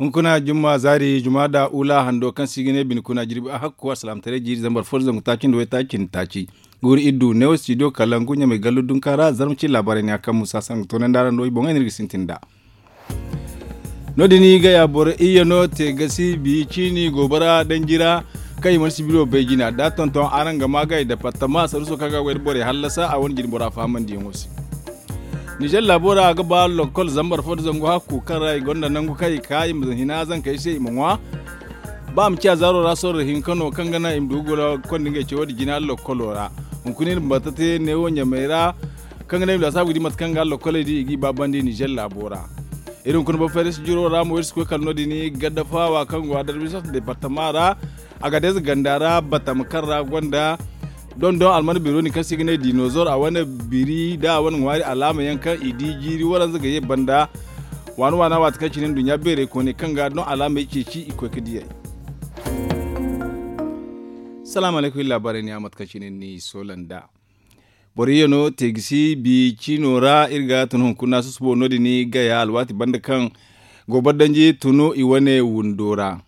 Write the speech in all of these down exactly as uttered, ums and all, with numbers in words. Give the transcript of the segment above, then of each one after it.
Hunkuna jumma zaari juma da ula hando kaŋ se i ga ne bine kuna jirbi a hakku alsilaamataray jiiri zambar fo da zangu taaci nda waytaaci nda taaci. Guuru iddu neewo studio kalangu ɲamay gallu dunka ra zarma cine laabaarey ne a kaŋ musa sangu toonandi araŋ do i boŋey no iri ga sintin nd'a. No- din gaya boro iyye no te gasi bi ciini goobara danji ra kaŋ i mana sibiro bay jina da tonton araŋ ga ma gay departama saruso kaŋ ga goy da borey hallasa a wane jine bora fahamandiyaŋo se. Nizer laabo ra a ga ba lokkol zambar fo da zangu hakku kaŋ ra i gonda nangu kaŋ i ka i ma hina zankey se i ma ŋwa. Ba a ma ciya zaaro ra sorro hinka no kaŋ ga naŋ i ma du ga goro konda ngey cawo da jina lokkolo ra. Hunkuna iri ma bata te neewo ɲamay ra kaŋ ga naŋ i ma laasaabu ga di mate kaŋ ga lokkoley di i g'i baabandi nizer laabo ra. Iri hunkuna boro fayda si jiro ra mo iri si koy kala no- din gadda faawa kaŋ go a darbi sot departama ra. Agadez ganda ra batama kaŋ ra gonda dondon alman bironi kaŋ se i ga ne dinozor a wane biri da a wane ŋwaari alaama yaŋ kaŋ i di jiiri waranza ga ye banda. Waana waana waati kaŋ cine nduɲɲa beerey kooney kaŋ ga doŋ alaamey ceeci i koy ga diyey. Salaamu alaykum iri laabaarey ne a mate kaŋ cine ni soola nd'a. Boro iyye no te ga si bi ciino ra iri ga tun hunkuna susubo no- din gaya alwaati banda kaŋ goobara danji tun i wane windo ra.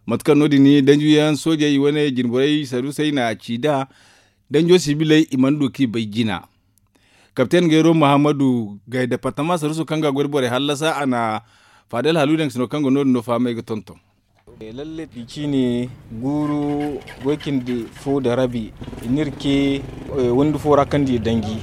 Mate kaŋ no- din danjiyaŋ soojey i wane jinborey sarusey na ci nd'a. Danjo sibiley i mana du kaŋ i bay jina. Kapten gayro muhammadu gay departama saruso kaŋ ga a goy da borey hallasa a na faadel haluudaŋ sino kaŋ ga no- din no fahamay ga tonton. Lalle i ciine guuru goy cindi fo da rabi i na iri ce windi fo ra kaŋ di danji.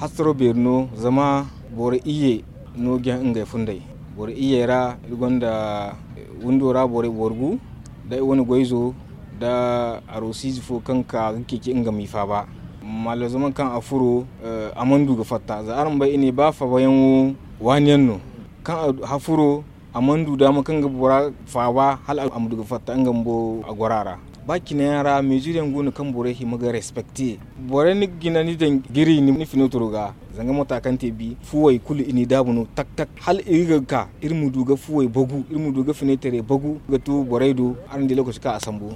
Hasaro beeri no zama boro iyye no ga ngey funday. Boro iyyey ra iri gonda windo ra borey borgu da i wane goyzo da arosiize fo kaŋ ka ga ceeci nga m'i faaba. Mallo zama kaŋ a furo a mana du ga fatta za araŋ bay i ne ba fabayaŋo waani yaŋ no. Kaŋ a furo a mana du daama kaŋ ga bora faaba hala a ma du ga fatta nga bumbo a goro a ra. Ba cine yaŋ ra mezir yaŋ go no kaŋ borey hima ga respekte. Borey ni ga jina ni daŋ giri ni finotoro ga zanga mota kaŋ te bi fuwey kulu i n'i daabu no tak tak hala iri ga ka iri ma du ga fuwey bagu iri ma du ga fineterey bagu ga tu borey do. Araŋ di lokaci kaŋ a sambu.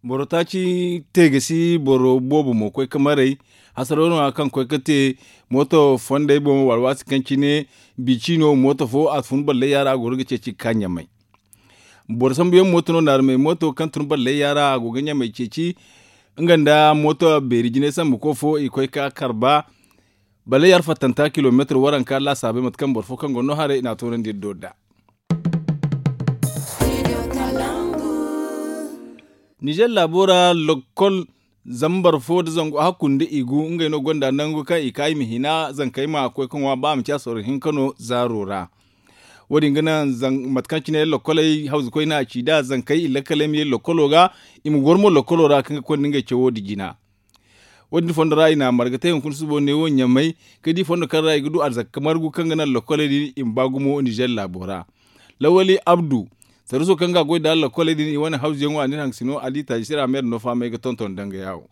Boro taaci te ga si boro boobo mo koy ga maray. Hasaro no- ya kaŋ koy ga te mooto fondey boŋ wala waati kaŋ cine bi ciino mooto fo a fun balley yaara a goro ga ceeci ga ka ɲamay. Boro sambuyaŋ mooto no naarumey mooto kaŋ tun balley yaara a go ga ɲamay ceeci. Nga nda mooto beeri jinay sambu ko fo i koy ga karba. Balley yaara fattanta kilomeetir waranka laasaabey mate kaŋ boro fo kaŋ go no haray i n'a toonandi iri do nd'a. Nizer laabo ra lokkol zambar fo nda zangu hakku nda i gu ngey no gonda nangu kaŋ i ka i ma hina zankey ma koy ga ŋwa ba a ma ci a sorro hinka no zaaro ra. Wo- din ga naŋ mate kaŋ cine lokkoley hawzukoy no a ci nd'a zankey i lakkaley ma ye lokkolo ga i ma goro mo lokkolo ra kaŋ ga konda ngey cawo nda jina. Wo- din fondo ra i na a marga te hunkuna subo neewo ɲamay ga di fondo kaŋ ra i ga du arzaka margu kaŋ ga naŋ lokkoley din i ma ba gumo nizer laabo ra. Lawali abdu, saruso kaŋ ga a goy nda lakoley din i wane hawzuyaŋo a ne iri hangasino ali taaji sira meera no fahamay ga tonton danga yaawo.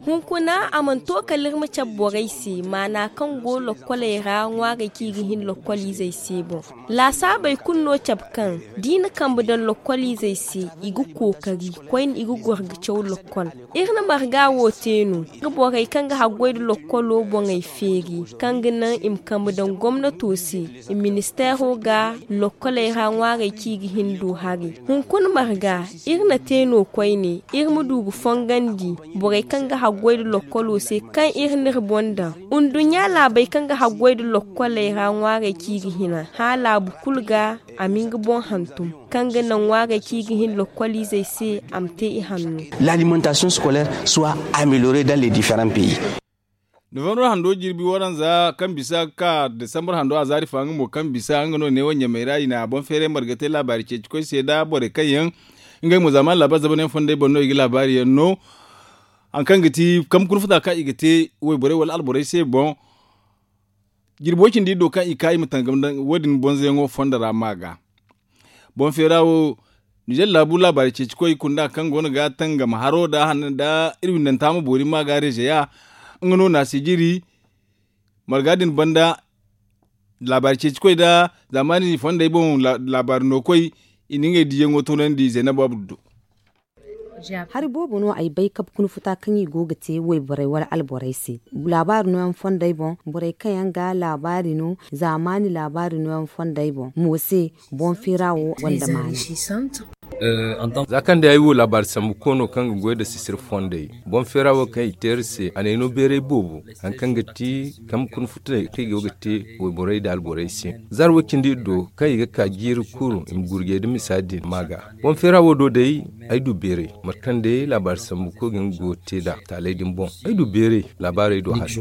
Hunkuna a mana to kala iri ma cabe borey se maana kaŋ go lakoley ra ŋwaarey kaŋ i ga hin lakoliizey se boŋ. Laasaabey kulu no cabe kaŋ da i na kambe daŋ lakoliizey se i ga kookari koyne i ga goro ga caw lakol. Iri na marga wo te no ga borey kaŋ ga haggoy nda lokolo boŋey feeri kaŋ ga naŋ i ma kambe daŋ gomnato se i ministeero ga lokkoley ra ŋwaarey kaŋ i ga hin du hari. Hunkuna marga iri na te no koyne iri ma du ga fongandi borey kaŋ ga haggoy nda lokolo se kaŋ iri n'iri boŋ daŋ nduɲɲa laabey kaŋ ga haggoy nda lokkoley ra ŋwaarey kaŋ i ga hina hã laabu kulu ga a ma nga boŋ hantum kaŋ ga naŋ ŋwaarey kaŋ i ga hin lokoliizey se a ma te i hanno. L'alimentation scolaire soit améliorée dans les différents pays. Novembre hando jirbi waranza kaŋ bisa ga ka desambar hando a zaari fa nga mo kaŋ bisa nga no neewo ɲamey ra i na boŋ feeray marga te laabaari ceeci koy se nda borey kaŋ yaŋ ngey mo zaamaani laabaari zamanyaŋ fondey boŋ no i ga laabaari yaŋ no. Hari kaŋ ga ti kambe kuna futa kaŋ i ga te wayborey wala alborey se boŋ. Jirbo cindi iri do kaŋ i ka i ma tangam daŋ wo- din bonzoyaŋo fondo ra ma ga. Boŋ feera wo nizer laabu laabaari ceeci koy kunda kaŋ go no ga tangam haro nda hanno nda iri windanta ma boori ma ga rezeya. Nga no na a si jiri marga din banda laabaari ceeci koy nda zaamaani fondey boŋ laabaari no koy i na ngey diiyaŋo toonandi zaynabu abdu do. Hari boobo no ay bay kabe kuna futa kaŋ i go ga te wayborey wala alborey se. Laabaari nooyaŋ fondey boŋ, borey kaŋ yaŋ ga laabaari no, zaamaani laabaari nooyaŋ fondey boŋ mo se. Boŋ feera wo gonda maana. Za kaŋ day ay wo laabaari sambu koono kaŋ ga goy nda sisir fondey, boŋ feera wo kaŋ i te iri se a n'ay no beeray boobo. Hari kaŋ ga ti kaŋ ga kuna futay kaŋ i go ga te wayborey nda alborey se, zaari way cindi iri do kaŋ i ga ka jiiri kuru i ma gurjey nda misa din ma ga. Boŋ feera wo do day, ay du beeray mate kaŋ day laabaari sambu koy ga nga go ga te nd'a taaley din boŋ. Ay du beeray laabaarey do hari.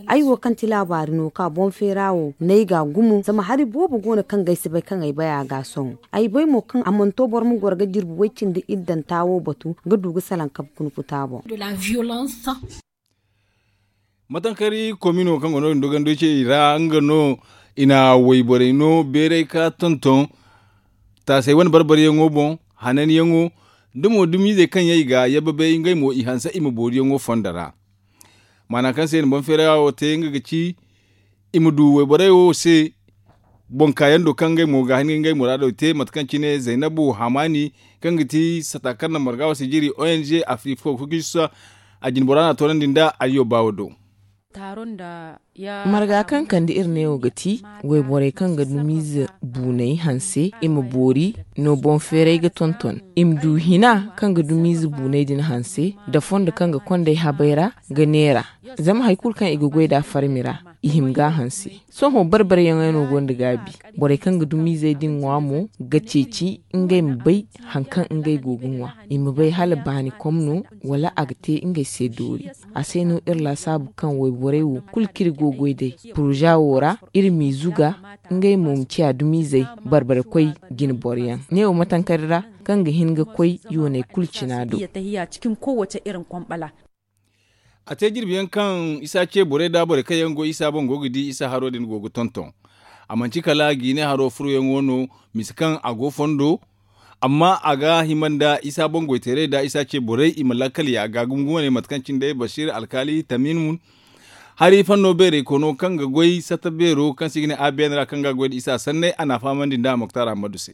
Ay wo kaŋ ti laabaari no ka boŋ feera wo n'ay ga gumo zama hari boobo go no kaŋ ga ay si bay kaŋ ay bay a ga a sohõ. Ay bay mo kaŋ a mana to boro ma goro ga jirbi way cindi iddanta wo batu ga du ga salaŋ kabe kuna futa boŋ. Matankari komino kaŋ go no din dogando ce i ra nga no i na wayborey no beeray ka tonton taasay wane barbaryaŋo boŋ, hananyaŋo da mo dumizey kaŋ yaŋ i ga yabbabay ngey mo i hanse i ma booriyaŋo fondo ra. Maana kaŋ se i na boŋ feera wo te nga ga ci i ma du wayborey wo se boŋ kaayaŋ do kaŋ ngey mo ga hin ga ngey muraado te mate kaŋ cine zaynabu hamaani kaŋ ga ti sata kaŋ na marga wo si jiri ong afrik fo ga kusa a jine bora no a toonandi nda ayyo baawo do. Marga kaŋ kande iri neewo ga ti wayborey kaŋ ga dumiize buuney hanse i ma boori no boŋ feeray ga tonton i ma du hina kaŋ ga dumiize buuney din hanse nda fondo kaŋ ga kondey habay ra ga neera. Zama hari kulu kaŋ i ga goy nd'a farmi ra i hima ga a hanse. Sohõ barbaryaŋey no gonda gaabi. Borey kaŋ ga dumiizey din ŋwa mo ga ceeci ngey ma bay hari kaŋ ngey go ga ŋwa. I ma bay hala baani kom no wala a ga te ngey se doori. A se no iri laasaabu kaŋ wayborey wo kulu kaŋ iri go ga goy day poroza wo ra iri m'i zuga ngey mo ma ciya dumizey barbarkoy jine boroyaŋ. Neewo matankari ra kaŋ ga hin ga koy yooney kulu cina do. A te jirbi yaŋ kaŋ isa ce borey nda borey kaŋ yaŋ go isa boŋ go ga di isa haro din go ga tonton. A manti kala jiine haro furoyaŋo no misa kaŋ a go fondo. Amma a ga hima nda isa boŋ goyteerey nda isa ce borey i ma lakkal ya ga gumo wane mate kaŋ cine day basiir alkaali tamin mun hari fanno beerey kono kaŋ ga goy sata beero kaŋ se i ga ne a bn ra kaŋ ga goy nda isa sanney a n'a fahamandi nda moktar ammadu se.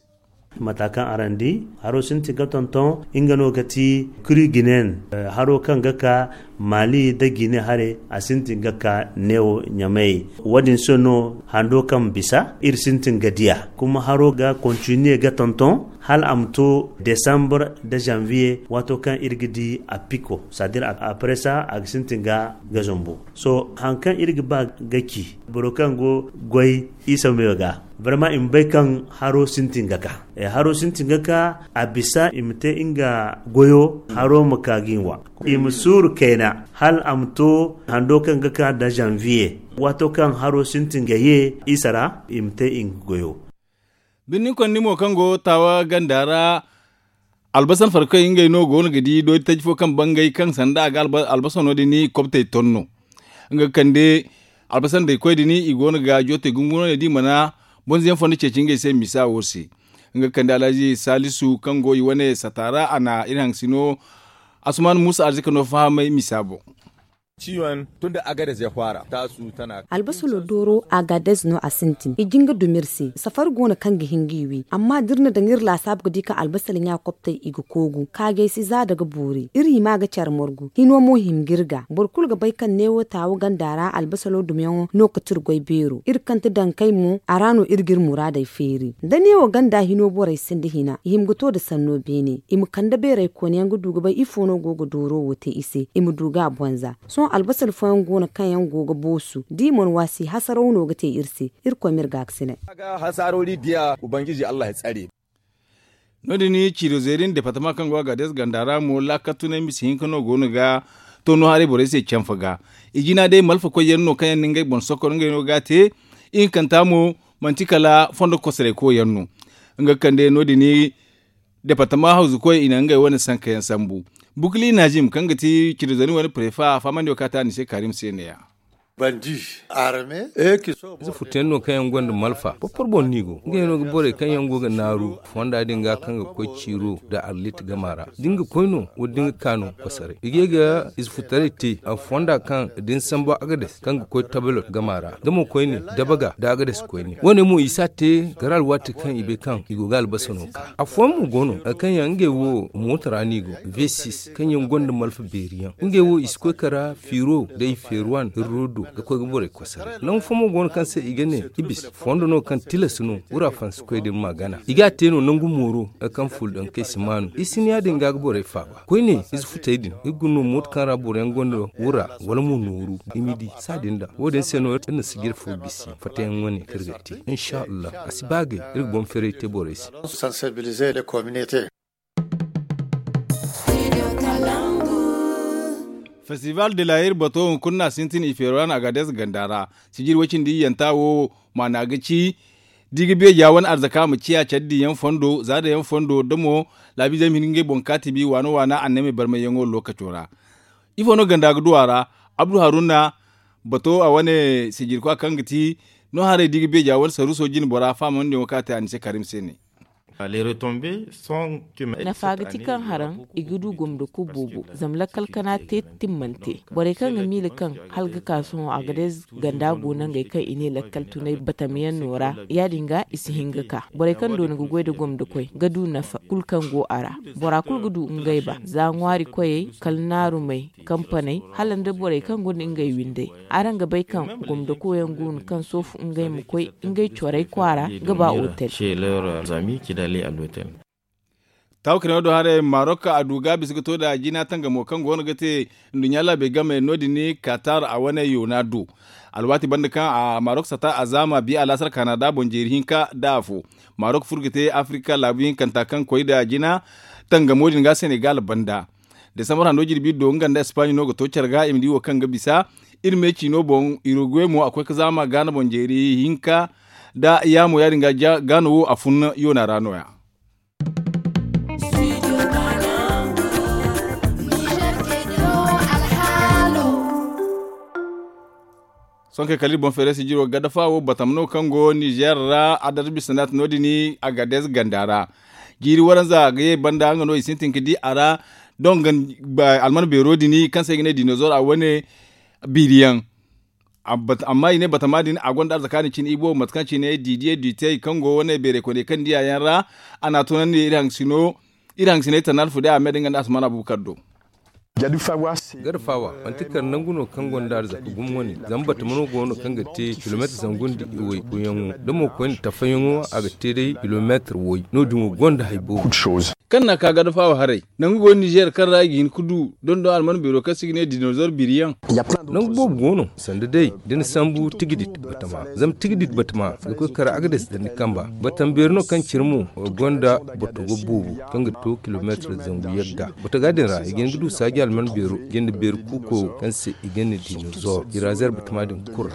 Mata kaŋ araŋ di haro sintin ga tonton nga no ga ti kuri ginen haro kaŋ ga ka maali nda gine hare a sintin ga ka neewo ɲamey. Wo- din se no hando kaŋ bisa iri sintin ga diya kuma haro ga kontiniye ga tonton hala a ma to desambar nda zanviye waato kaŋ iri ga di a piko sadir a paresa a ga sintin ga ga zombo. Sohõ hari kaŋ iri ga ba ga ci boro kaŋ go goy isa meyo ga barma i ma bay kaŋ haro sintin ga ka haro sintin ga ka a bisa i ma te nga goyo haro ma ka ga i ŋwa. I ma suuru kayna hala a ma to hando kaŋ ga ka nda zanviye waato kaŋ haro sintin ga ye isa ra i ma te nga goyo. Birni konni mo kaŋ go taawa ganda ra albasan farkey ngey no go no ga di dooti taji fo kaŋ bangay kaŋ sanda a ga albasano din kobtey ton no. Nga ga kande albasandey koy din i go no ga jootey gungu no ne da i mana bonzo yaŋ fondo ceeci ngey se misa wo se. Nga ga kande alhaji salisu kaŋ go i wane sata ra a na iri haŋ sino asuman musa arzika no fahamay misa boŋ. Ciwon tun da agades ya fara tasu tana albasalo dooro agadez no a sintin i jin ga dumi iri se safari go no kaŋ ga hin ga i wi amma da iri na daŋ iri laasaabu ga di kaŋ albasalo ɲa koptey i ga koogu kaagay si za daga boori iri hima ga care margu hino mo hima ga iri ga boro kulu ga bay kaŋ neewo taawo ganda ra albasalo dumiyaŋo no kate iri goy beero iri kante daŋ kay mo a ra no iri ga iri muraadey feeri da neewo ganda hino borey sinda hina i hima ga to nda sanno beene i ma kande beerey koona yaŋ ga du ga bay ifo no go ga dooro wo te i se i ma du ga a bonza. Sohõ albasal fooyaŋ go no kaŋ yaŋ go ga boosu da i mana waasi hasaraw no ga te iri se. Irkoy ma iri gaakasinay. No- din ciido zeeri nda departama kaŋ go a ga dees ganda ra mo laakal tunay misa hinka no go no ga to no haray borey se canfa ga. I jina day malfakoy yaŋ no kaŋ yaŋ na ngey boŋ sokor ngey no ga a te. Ihinkanta mo manti kala fondo kosoray koy yaŋ no. Nga ga kande no- din departama hawzukoy i na ngey wane sanka yaŋ sambu. Bukli najim kaŋ ga ti ciido zeeri wane prefa a fahamandi wo kaŋ a te a ni se karim se ne- ya. Ize furtayaŋ no kaŋ yaŋ gonda malfa porpor boŋ no i go ngey no ga borey kaŋ yaŋ go ga naaru fonda din ga kaŋ ga koy ciiro nda arlit gama ra da ni ga koy no wala da ni ga ka no kosaray i ga ye ga ize furtaray te fonda kaŋ da ni sambu agades kaŋ ga koy tabalot gama ra da mo koyne dabaga nda agades koyne wo- ne mo i si a te gara alwaati kaŋ i bay kaŋ i go ga albasa no ka afooyaŋ mo go no kaŋ yaŋ ngey wo mooto ra no i go v6 kaŋ yaŋ gonda malfa beeri yaŋ ngey wo i si koy kara fiiro nda i feeruwan hirro do ga koy ga borey koy saray nangu fo mo go no kaŋ se i ga ne ibis fondo no kaŋ tilas no wura fansikoy din ma gana i ga a te no nangu mooro kaŋ fuldankey si maanu i si ni ya- din ga ga borey faaba koyne ize futey din iri ga no mooto kaŋ ra boro yaŋ gonda wura wala mo nooru i ma di saadin da wo- din se no iri na sijir fo gisi fattayaŋ wane kaŋ iri ga te insha allah a si ba gay iri ga boŋ feeray te borey se. Festival de la hir bato hunkuna sintin i feerwa na agades ganda ra sijir way cindi iyanta wo maana ga ci da i ga beeja wane arzaka ma ciya care diyaŋ fondo za dayaŋ fondo da mo laabiizey ma hin ga ngey boŋ kaatibi waana waana annamey barmayyaŋo lokaco ra. Ifo no ganda ga du a ra? Abdu haruna bato a wane sijirkwa kaŋ ga ti no haray da i ga beeja wane saruuso jine bora faamandiyaŋo kaŋ a te a ni se karim se ne. Nafa ga ti kaŋ haraŋ i ga du gomdo kulu boobo zama lakkal kana te timmante borey kaŋ ga miila kaŋ hala ga ka sohõ a ga day ganda go nangey kaŋ i ne lakkal tunay batam yaŋ no ra ya- din ga i si hin ga ka borey kaŋ doona ga goy nda gomdo koy ga du nafa kulu kaŋ go a ra. Bora kulu ga du ngey ba za ŋwaari koyey kala naarumey kampaney hala nda borey kaŋ gonda ngey windey. Araŋ ga bay kaŋ gomdo koyaŋ go no kaŋ soofu ngey ma koy ngey corey kwaara ga ba otel. Taawakirano do haray marok a du ga bisa ga to da jina tangamo kaŋ go no ga te nduɲɲa laabey game no- din katar a wane yoona do alwaati banda kaŋ a marok sata a zaama bi alaasar kanada boŋ jeeri hinka da afo. Marok furo ga te afirika laabu hinkanta kaŋ koy da jina tangamo din ga senegal banda. Desambar hando jirbi do nga nda espagne no ga to care ga i ma di wo kaŋ ga bisa iri me ciino boŋ uruguay mo a koy ga zaama gaana boŋ jeeri hinka da yaamo ya- din ga gaano wo a fun yoona ra no- ya. Sohõ kay kala iri boŋ feeray sijiro gadafa wo batama no kaŋ go nizer ra adar bisanaat no- din agadez ganda ra. Jiiri waranza ga ye banda nga no i sintin ga di a ra. Donga alman beero din kaŋ se i ga ne dinozor a wane biiri yaŋ. Amma i ne batama din a gonda arzaka din cine i boobo mate kaŋ cine didiye dutey kaŋ go wane beeray koyney kaŋ diya yaŋ ra. A n'a tunandi iri haŋ sino iri haŋ sinay tana alfude a me da nga nda asman abubakar do. Gada fawa manti kar nangu no kaŋ gonda arzaka gumo wane zama batama no go no kaŋ ga te kilomeetar zangu nda iway koyyaŋo da mo koyne tafayaŋo a ga te day kilomeetar way no- din wo gonda hari boobo. Kaŋ na ka gada fawa haray nangu go nizer kaŋ ra i ga hin ga du dondon alman beero kaŋ se i ga ne dinozor biri yaŋ. Nangu boobo go no sanda day da ni sambu tigidit batama zama tigidit batama ga koy kara agades da ni kamba batama beeri no kaŋ cire mo gonda botogo boobo kaŋ ga to kilomeetar zangu yagga. Botoga din ra i ga hin ga du saaji alman beero jinde beeri kuuko kaŋ se i ga ne dinozor i ra zer batama din kura.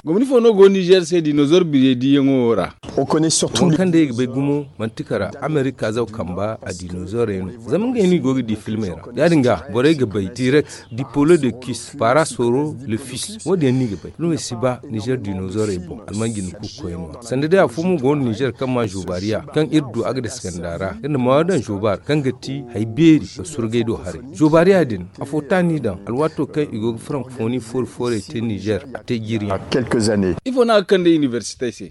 Gomni fo no go nizer se dinozor biriyey diyaŋo ra. Kaŋ day i ga bay gumo manti kara amerika zaw kamba a dinozorey no zama ngey no i go ga di filmey ra ya- din ga borey ga bay direct dipolo de kis para soro le fils wo- din yaŋ no i ga bay no i si ba nizer dinozorey boŋ alman jinde kuuko koy no. Sanda day afo mo go no nizer kaŋ ma zobariya kaŋ iri du agades ganda ra iri na maayo daŋ zobar kaŋ ga ti hari beeri ga surgay do haray. Zobariya din afo taani daŋ alwaato kaŋ i go ga frankofoni foori foorey te nizer a te jiiri yaŋ. Ifo no a ga kande inibersitey se?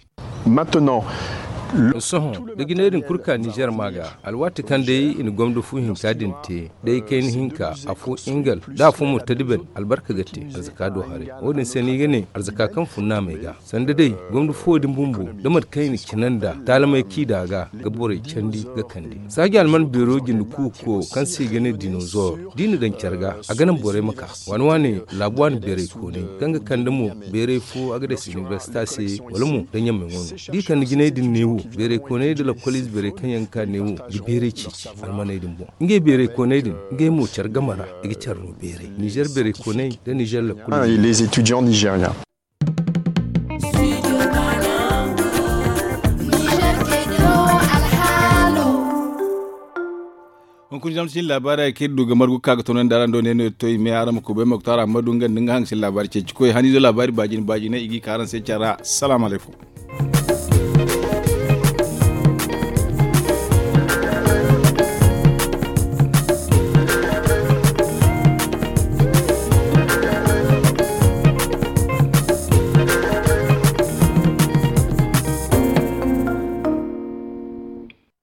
Sohõ da jinay din kulu ka nizer ma ga alwaati kaŋ day i na gomdo fu hinka din te day kayna hinka afo ingal da afo mo tadiben albarka ga te arzaka do haray. Wo- din se no i ga ne arzaka kaŋ fun naamey ga sanda day gomdo fuwo din bumbo da mate kaŋ i na cina nda taalamey kaŋ i da ga ga borey candi ga kande saaji alman beero jinde kuuko kaŋ se i ga ne dinozor da i na daŋ care ga a ga naŋ borey ma ka waani waani laabu waani beeray koonay kaŋ ga kande mo beeray fo a ga day sinibersita se wala mo da ɲamey wano da i kande jinay din neewo beeray koonay da lakkol ize beeray kaŋ yaŋ ga ka neewo ga beeray ceeci almaney din boŋ ngey beeray koonay din ngey mo care game ra i ga care no beeray nizer beeray koonay da nizer lakkol ize. Hunkuna zama sinda laabaarey kaŋ iri du ga margu ga ka ga toonandi araŋ do ne no iri to i me araŋ ma kubay moktar ammadu nga nda nga haŋ ga sinda laabaari ceeci koy haniizo laabaari baajine baajine i g'i ka araŋ se care ra. Salaamu alaykum.